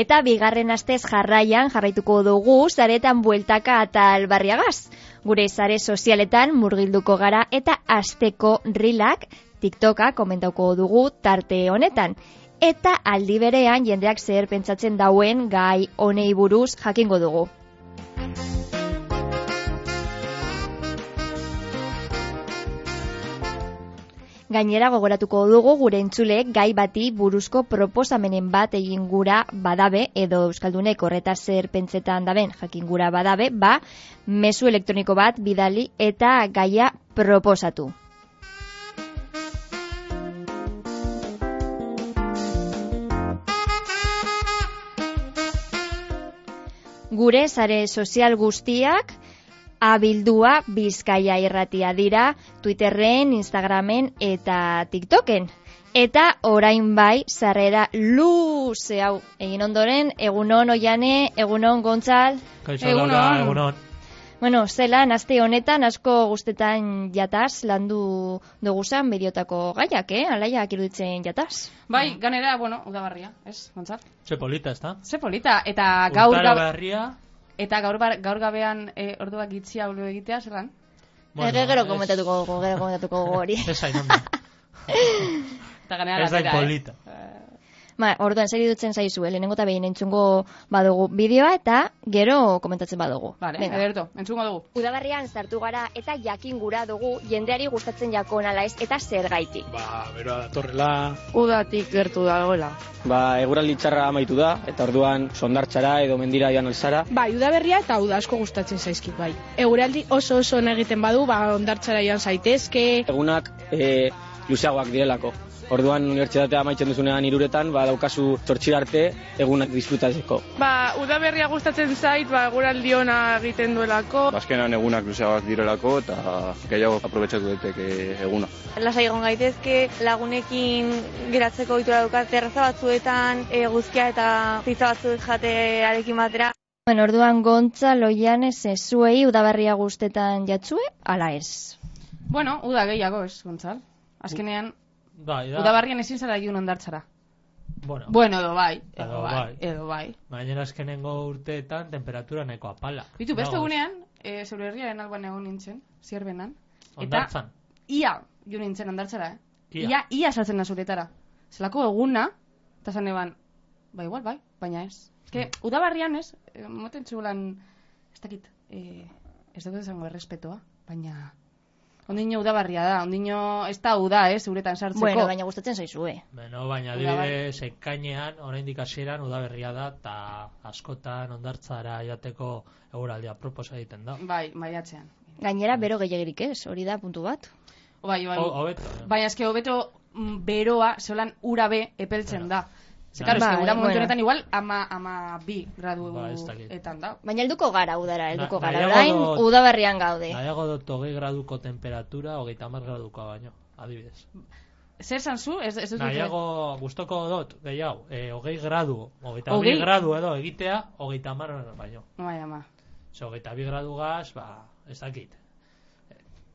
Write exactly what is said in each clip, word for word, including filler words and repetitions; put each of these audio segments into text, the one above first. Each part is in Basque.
Eta bigarren astez jarraian jarraituko dugu zaretan bueltaka atal barriagaz. Gure sare sozialetan murgilduko gara eta asteko rilak TikToka komentauko dugu tarte honetan. Eta aldi berean jendeak zer pentsatzen dauen gai honei buruz jakingo dugu. Gainera gogoratuko dugu gure entzulek gai bati buruzko proposamenen bat egin gura badabe, edo euskaldunek horretaz zer pentsetan daben jakin gura badabe, ba, mezu elektroniko bat bidali eta gaia proposatu. Gure sare sozial guztiak abildua Bizkaia Irratia dira, Twitterren, Instagramen eta TikToken. Eta orain bai, sarrera luze hau egin ondoren, egunon Oiane, egunon Gontzal. Egunon. Egunon. Bueno, zelan, aste honetan asko guztetan jataz, landu duguzan bediotako gaiak, eh? Alaiak iruditzen jataz. Bai, ganera, bueno, udabarria, ez, Gontzal? Ze polita, ez da? Ze polita, eta gaur... Udabarria... Eta gaur, bar, gaur gabean e, orduak gitzia olo egitea, zelan? Bueno, e, gero komentatuko gogo, gero komentatuko gogo hori. Ez hain ondo. Ez hain polita. Eh? Ba, orduan, zer idutzen zaizu, eh? Lehenengo eta behin entzungo badugu bideoa eta gero komentatzen badugu. Vale, ederto, entzungo dugu. Udabarrian sartu gara eta jakin gura dugu jendeari gustatzen jakon ala ez eta zer gaitik. Ba, beroa datorrela. Udatik gertu dagoela. Ba, eguraldi txarra amaitu da, eta orduan sondartxara edo mendira joan alzara. Bai, udaberria eta uda asko gustatzen zaizkit bai. Eguraldi oso oso egiten badu, ba, ondartxara joan zaitezke. Egunak e, luzeagoak direlako. Orduan unibertsitatea amaitzen duzunean hiruretan, ba, daukazu zortxira arte egunak disfrutatzeko. Ba, udaberria gustatzen zait, ba, eguraldi ona egiten duelako. Azkenan egunak luzeagoak direlako eta gehiago aprobetxatu daiteke eguna. Lasai egon gaitezke, lagunekin geratzeko ohitura daukat terraza batzuetan, eguzkia eta pizza batzuk jatearekin batera. Bueno, orduan Gontzal, Oiane, zuei udaberria gustetan jatzue, ala ez? Bueno, uda gehiago ez, Gontzal. Azkenean... Bai, da. Udabarrian ezin zara egiun ondartxara. Bueno, bueno, edo bai. Edo, edo bai. bai. Edo bai. Baina azkenengo urteetan temperatura neko apala. Bitu, beste gunean, e, zeure herriaren alban egon nintzen, zierbenan. Ondartzan. Eta ia, jo nintzen ondartxara, eh? Ia. Ia, ia saltzen nazuretara. Zelako eguna, eta zan eban, ba igual, bai, baina ez. Ez que, mm. Udabarrian ez, moten txulan, ez dakit, e, ez dut ezango errespetoa, baina... Ondino udabarria da, ondino ez da uda, eh, zuretan sartzeko. Bueno, baina gustatzen zaizue. Bueno, baina adibidez, ekainean, oraindik hasieran udaberria da, eta askotan ondartzara jateko eguraldia proposa egiten da. Bai, maiatzean. Gainera, bero gehiagirik ez, hori da puntu bat. Bai, bai. O, hobeto. Baina eske hobeto beroa, zelan ura be epeltzen da. Zekaro, eske ura momentu honetan igual ama, ama bi gradu ba, etan da. Baina helduko gara udara, helduko Na, gara. Orain udaberrian gaude. Nahiago dut hogei graduko temperatura, hogeita hamar gradukoa baino, adibidez. Zer zanzu? Ez, ez dut nahiago gustoko dut, gehiago, eh, hogei gradu, hogeita bi gradu edo egitea, hogeita hamar baino. Bai, ama. Ze hogeita bi gradu gaz, ba, ez dakit.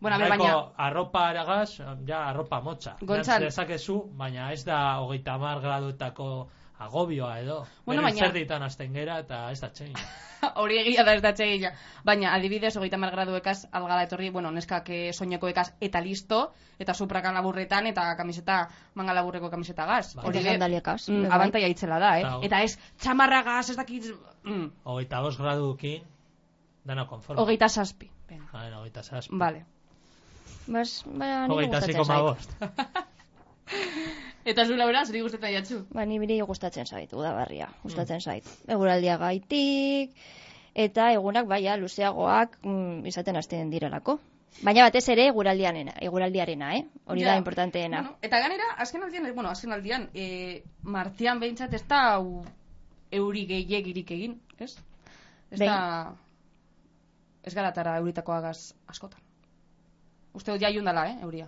Bueno, a baina... arropa aragaz, ja, arropa motza. Gontzal... Dezakezu, baina ez da hogeita hamar graduetako agobioa edo. Bueno, Beren baina... zer ditan azten gera eta ez da txegin. Hori egia da ez da txegin. Baina, adibidez, hogeita hamar graduekaz algala etorri, bueno, neskak soineko ekaz eta listo, eta suprakan laburretan, eta kamiseta, manga laburreko kamiseta gaz. Ba, hori sandaliakaz. Mm, abantaia itzela da, eh? Eta ez, txamarra gaz, ez dakit... Mm. Hogeita bost gradukin, dana konforma. Hogeita saspi. Ah, hogeita saspi. Vale. Bas, ba, nire hogeita gustatzen zait. Eta zu laura, zuri gustatzen jatzu? Ba, nire gustatzen zait, udabarria, gustatzen mm. zait. Eguraldia gaitik, eta egunak, baia, luzeagoak mm, izaten hasten direlako. Baina batez ere eguraldiarena, eguraldiarena, eh? Hori ja, da importanteena. Bueno, eta ganera, azken aldian, bueno, azken aldian, e, martzian behintzat ez da euri gehiagirik egin, ez? Ez da... Ez garatara euritakoagaz askotan. Uste dut jaiun dela, eh, euria.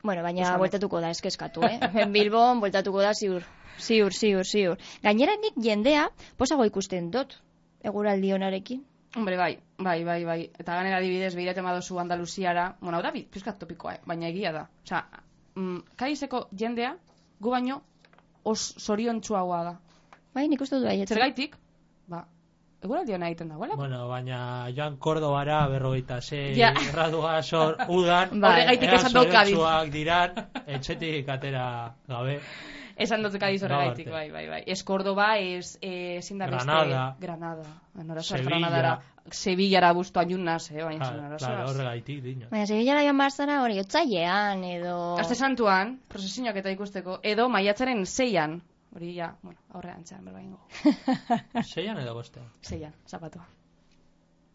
Bueno, baina bueltatuko da, eskeskatu, eh? Bilbon, bueltatuko da, ziur, ziur, ziur, ziur. Gainera nik jendea, posago ikusten dut, eguraldi honarekin. Hombre, bai, bai, bai, bai. Eta ganera adibidez, behiraten badozu Andaluziara, bueno, hau da, pizkat topikoa, eh? Baina egia da. Osa, mm, kaizeko jendea, gu baino, os zorion txuagoa da. Bai, nik uste dut bai. Zergaitik, ba, eguraldi hona egiten dagoela. Bueno, baina joan Kordobara berrogeita sei Ja. gradua sor udan. Bai. Horregaitik esan dut Cádiz. Zorotsuak diran, etxetik atera gabe. Esan dut Cádiz horregaitik, Gaur bai, bai, bai. Ez Cordoba, ez, eh, ezin da beste... Granada. Granada. Nora zoaz Sevilla. Granadara. Sevillara busto añunaz, eh, baina Ah, zin nora claro, zoaz. horregaitik dino. Baina, Sevillara joan barzara hori, otzailean, edo... Aste santuan, prosesioak eta ikusteko, edo maiatzaren zeian, hori ja, bueno, aurrean txan, berba ingo. Seian edo bostean. Zeian, zapatua.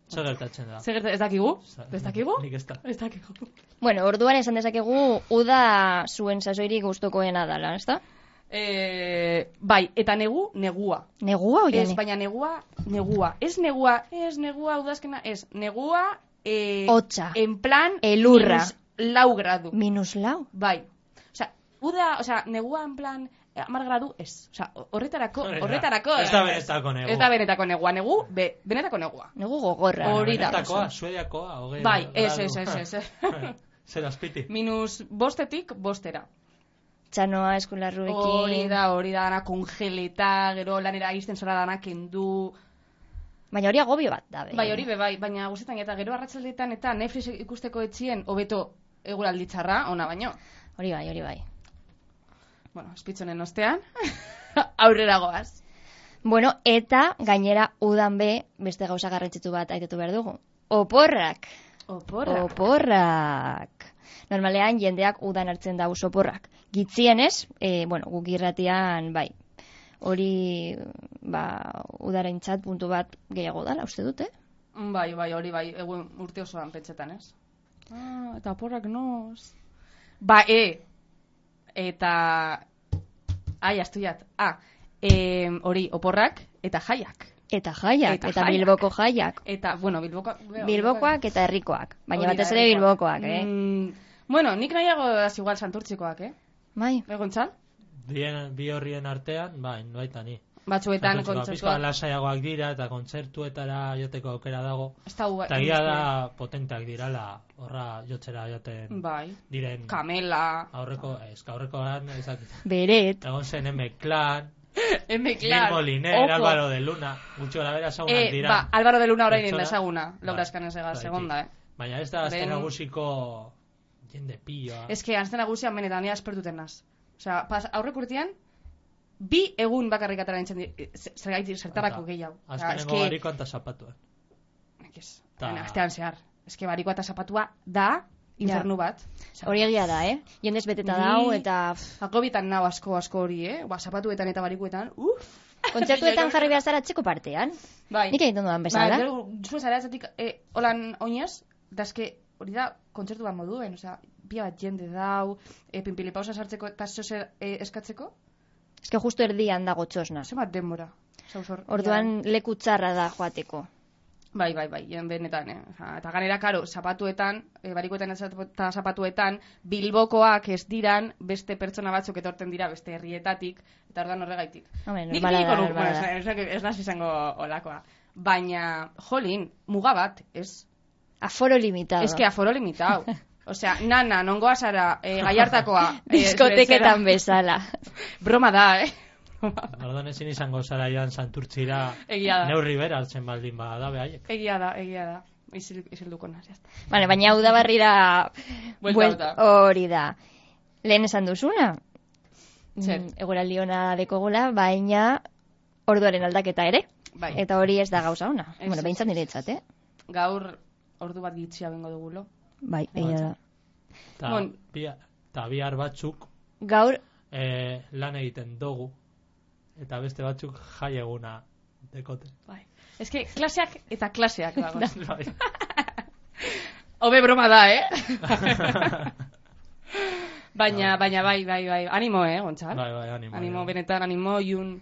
Zer gertatzen da? Zer gertatzen, ez dakigu? Ez dakigu? Nik ez da. Ez dakigu. Bueno, orduan esan dezakegu, uda zuen sasoirik gustokoena dala, ezta? Eh, bai, eta negu, negua. Negua oian? Ez, baina negua, negua. Ez negua, ez negua, udazkena, ez. Negua, eh, Hotza. en plan... Elurra. minus lau gradu. Minus lau? Bai. Osea, uda, osea, negua en plan... Amar gradu, ez. Osea, horretarako, horretarako... Ez da benetako negua. Ez da benetako negua. Negu, be, benetako negua. Negu gogorra. Hori da. Benetakoa, Suediakoa, hogei Bai, ez, gradu. ez, ez, ez. Zer azpiti. Minus bostetik bostera. Txanoa eskularruekin. Hori da, hori da, dana kongeleta, gero lanera izten zora dana kendu... Baina hori agobio bat da, be. Bai, hori be, bai, baina guztetan eta gero arratsaldeetan eta Netflix ikusteko etxien hobeto eguralditzarra, ona baino. Hori bai, hori bai. Bueno, espitzonen ostean, aurrera goaz. Bueno, eta gainera udan be, beste gauza garrantzitsu bat aitetu behar dugu. Oporrak. Oporra. Oporrak. Normalean jendeak udan hartzen da oporrak. Gitzienez, e, bueno, guk irratian, bai, hori, ba, udarentzat puntu bat gehiago dala, uste dute? Bai, bai, hori bai, egun urte osoan pentsetan, ez? Ah, eta oporrak noz. Ba, e, eta... Ai, astuiat. Ah, e, hori, oporrak eta jaiak. Eta jaiak, Eta eta, jaiak. Bilboko jaiak. Eta, bueno, Bilbokoak... Bilbokoak eta herrikoak. Baina Hori da, batez ere herrikoak. Bilbokoak, eh? Mm, bueno, nik nahiago az igual santurtzikoak, eh? Bai. Egontzal? Bien, bi horrien artean, bai, baita ni. Batzuetan Pizka kontzertuak. lasaiagoak dira eta kontzertuetara joteko aukera dago. Ez da ua- Eta gira da potenteak dirala, horra jotzera joten Bai. diren Kamela. aurreko, ez, aurrekoan, ezak, Beret. egon zen M-Clan, M. Bill Moliner, Álvaro de Luna, gutxo gara bera saunak Eh, dira. ba, Álvaro de Luna orain Pertsona- indezaguna. Bai, Laura eskanez ega, bai, segonda, eh? Baina ez da azte Ben- nagusiko jende pilloa. Ez que, anzten nagusian benetan, ea espertuten naz. Osea, pas, aurrek urtean, bi egun bakarrik atara nintzen di, zer- zergaitik, zertarako gehiago. Osea, Azkenengo eske- bariko anta zapatuan. Ez, Ta- baina, astean zehar. Ez que barikoa eta zapatua da, infernu bat. Osea, Hori egia da, eh? Jendez beteta Ni- dau, eta... pff, Jakobitan nau asko asko hori, eh? Ba, zapatuetan eta barikuetan, uff. kontzertuetan jarri behar zara atzeko partean. Bai. Nik egiten dudan Ba, bezala. gero, zuen zara etzatik, eh, holan oinez, da eske, hori da, kontzertu bat moduen, osea, pia bat jende dau, eh, pinpilipausa sartzeko eta zozer eh, eskatzeko, Ez que justo erdian dago txosna. zenbat denbora. Zauzor, Orduan leku txarra da joateko. Bai, bai, bai, jen benetan, eh? Osea, eta ganera, karo, zapatuetan, e, barikoetan eta zapatuetan, bilbokoak ez diran, beste pertsona batzuk etorten dira, beste herrietatik, eta orduan horregaitik. Hombre, Nik normala niko da, nuk, normala bueno, da. ez, ez, ez naz izango olakoa. Baina, jolin, muga bat, ez? Aforo limitado. Ez que aforo limitau. Osea, nana, nongoa zara, e, gaiartakoa. e, Diskoteketan zuretzera. bezala. Broma da, eh? Orduan ezin izango zara joan santurtzira Egia da. neurri bera hartzen baldin bada behaiek. Egia da, egia da. Isil, isilduko naz, jazta. Vale, baina hau da barrira... Buelta, buelt- buelta. Hori da. Lehen esan duzuna. Zer? Mm, Eguraldi ona dekogula, baina orduaren aldaketa ere. Bai. Eta hori ez da gauza ona. Ez, Bueno, ez, behintzat ez. niretzat, eh? Gaur, ordu bat gitxia bengo dugulo. Bai, egia da. Eta Bon. bia- eta bihar batzuk Gaur, eh, lan egiten dugu eta beste batzuk jai eguna dekote. Bai. Ez que, klaseak eta klaseak dago. Bai. Hobe broma da, eh? baina, baina, bai, bai, bai. Animo, eh, Gontzal? Bai, bai, animo. Animo, benetan, animo, iun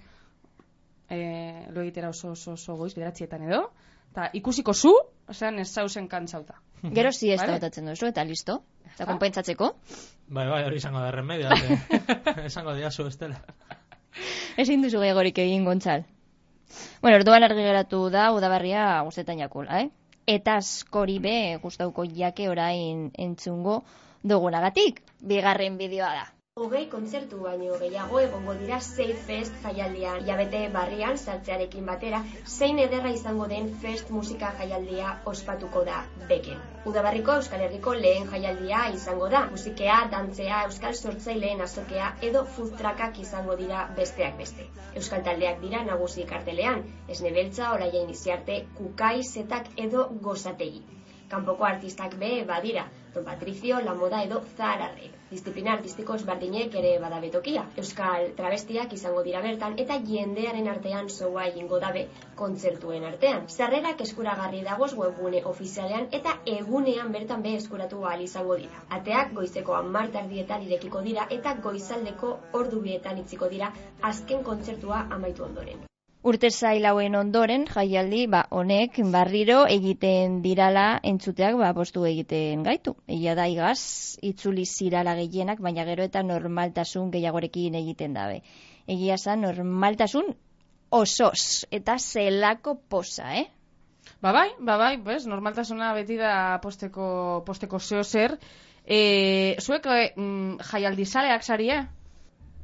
eh, lo egitera oso, oso, oso goiz, bederatzietan edo. Eta ikusiko zu, osean ez zauzen kantzauta. gero si ez da Vale. botatzen duzu, eta listo. Eta Ah. konpentsatzeko. Bai, bai, hori izango da remedio. ate. Esango diazu estela. Ezin duzu gehiagorik egin Gontzal. Bueno, orduan argi geratu da udaberria gustetan jakula, eh? Eta askori be gustauko jake orain entzungo dugunagatik. Bigarren bideoa da. Hogei kontzertu baino gehiago egongo dira Safe Fest jaialdian. Hilabete barrian sartzearekin batera, zein ederra izango den Fest musika jaialdia ospatuko da Beken. Udabarriko Euskal Herriko lehen jaialdia izango da. Musikea, dantzea, euskal sortzaileen azokea edo food truckak izango dira besteak beste. Euskal taldeak dira nagusi kartelean, Esne Beltza, Orain Iziarte, Kukai, Zetak edo Gozategi. Kanpoko artistak be badira, Don Patricio, La Moda edo Zahararrek. Disiplina artistiko ezberdinek ere badabetokia. Euskal travestiak izango dira bertan eta jendearen artean soua egingo dabe kontzertuen artean. Sarrerak eskuragarri dagoz webgune ofizialean eta egunean bertan be eskuratu ahal izango dira. Ateak goizeko hamar tardietan irekiko dira eta goizaldeko ordu bietan itziko dira azken kontzertua amaitu ondoren. Urte zail hauen ondoren, jaialdi, ba, honek barriro egiten dirala entzuteak, ba, postu egiten gaitu. Egia da igaz, itzuli zirala gehienak, baina gero eta normaltasun gehiagorekin egiten dabe. Egia zan, normaltasun osoz, eta zelako posa, eh? Ba bai, ba bai, pues, normaltasuna beti da posteko, posteko zeo zer. E, zuek e, mm, jaialdi zaleak zari, eh?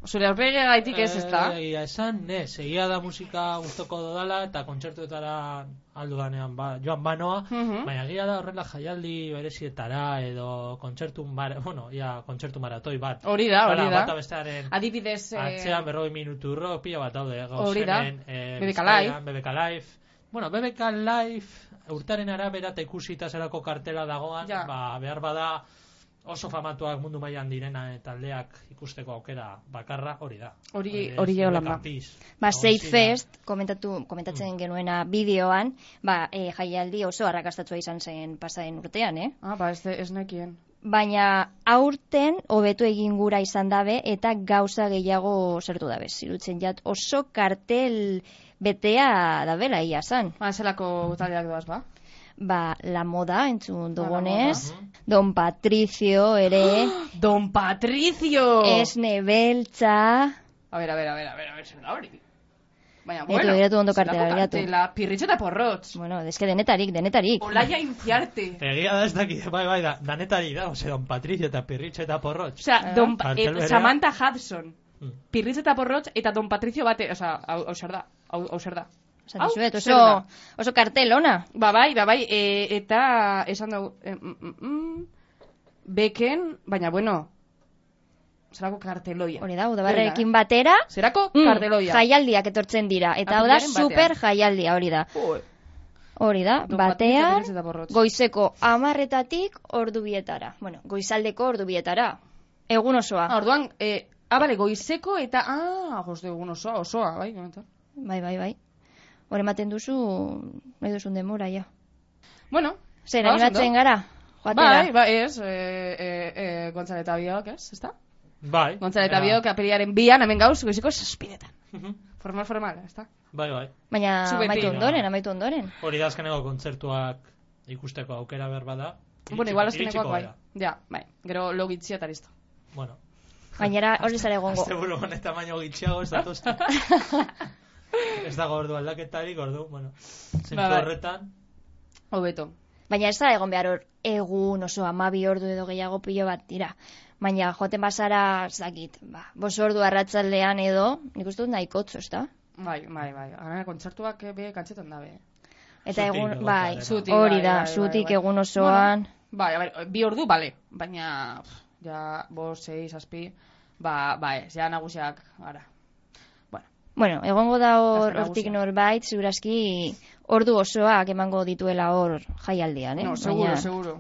Zure aurpegi gaitik ez ez da? Egia esan, ez, egia da musika guztoko dodala eta kontzertuetara aldu ganean ba, joan banoa, uh-huh. Baina egia da horrela jaialdi berezietara edo kontzertu, bar, bueno, ia kontzertu maratoi bat. Hori da, hori da. Bata bestearen adibidez, atzean berroi minutu ro, pila bat daude. Hori da, eh, B B K Live. B B K Live. Bueno, B B K Live urtaren arabera eta ikusita zerako kartela dagoan, ja. Ba, behar bada oso famatuak mundu mailan direna taldeak ikusteko aukera bakarra hori da. Hori hori jolan ba. Ba, Safe Fest komentatu komentatzen mm. genuena bideoan, ba, e, jaialdi oso arrakastatua izan zen pasaren urtean, eh? Ah, ba, ez ez nekien. Baina aurten hobetu egin gura izan dabe eta gauza gehiago sartu dabe. Zirutzen jat oso kartel betea dabela ia san. Ba, zelako taldeak doaz ba. Ba, La Moda entzun dugunez, Don Patricio ere, Don Patricio! Esne Beltza. A ver, a ver, a ver, a ver, a ver, zer da hori. Baina, bueno, Eto, eratu ondo kartela, eratu. Kartela, pirritxo eta porrotz. Bueno, eske denetarik, denetarik. Olaia Inciarte. Egia da ez dakit, bai, bai, da, danetarik da, ose, Don Patricio eta pirritxo eta porrotz. Osea, Don eh, Samantha Hudson, mm. pirritxo eta porrotz eta Don Patricio bate, osea, hau zer da, hau zer da. Dizuet, oso, oso kartel ona. Ba bai, ba bai, e, eta esan dugu e, mm, mm, Beken, baina bueno, zerako karteloia. Hori da, udabarrekin batera. Zerako karteloia. Mm, jaialdiak etortzen dira, eta hau da super jaialdia, hori da. Hori da, batean, goizeko amarretatik ordu bietara. Bueno, goizaldeko ordu bietara. Egun osoa. Ah, orduan, e, ah, bale, goizeko eta, ah, gozde egun osoa, osoa, bai, gomenta. Bai, bai, bai. Hore ematen duzu, nahi duzun demora, ja. Bueno. Zer, animatzen gara? Joatera. Bai, bai, ez, e, e, e, Gontzaleta biok, ez, ez da? Bai. Gontzaleta biok, apiriaren bian, hemen gauz, goiziko saspidetan. Formal, formal, ez da? Bai, bai. Baina, amaitu ondoren, amaitu ondoren. Hori da azkeneko kontzertuak ikusteko aukera behar bada. Bueno, igual azkenekoak bai. Ja, bai, gero logitzia eta listo. Bueno. Gainera, hori zara egongo. Azte buru honetan baino gitxiago ez datuzte. Ez dago ordu aldaketarik, ordu, bueno, zentzu horretan. Hobeto. Baina ez da egon behar hor, egun oso amabi ordu edo gehiago pilo bat dira. Baina joaten bazara, zakit, ba, bos ordu arratzaldean edo, nik uste dut nahiko txo, ez da? Bai, bai, bai. Gara, kontzertuak be kantzetan dabe. Eta egun, bai, hori da, zutik egun osoan. Bai, bai, bi ordu, bale. Baina, ja, bos, sei, zazpi, ba, ba ez, ja nagusiak, gara. Bueno, egongo da hor hortik norbait, segurazki ordu osoak emango dituela hor jaialdian, eh? No, seguro, Baina, seguro.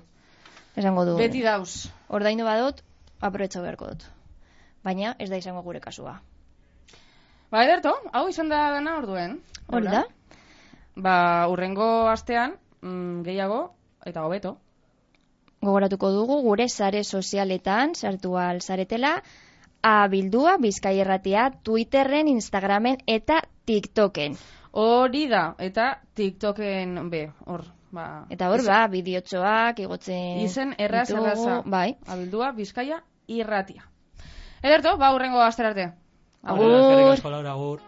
Esango du. Beti dauz. Ordaindu badut, aprobetxau beharko dut. Baina ez da izango gure kasua. Ba, ederto, hau izan da dena orduen. Hori da? Ba, urrengo astean, mm, gehiago, eta hobeto. Gogoratuko dugu gure sare sozialetan sartu al zaretela, abildua, Bizkai Irratia, Twitterren, Instagramen eta TikToken. Hori da, eta TikToken be, hor, ba. Eta hor, ba, bideotxoak, igotzen. Izen erraz erraza. Bai. Abildua, Bizkaia Irratia. Ederto, ba, urrengo asterarte. Agur. Agur.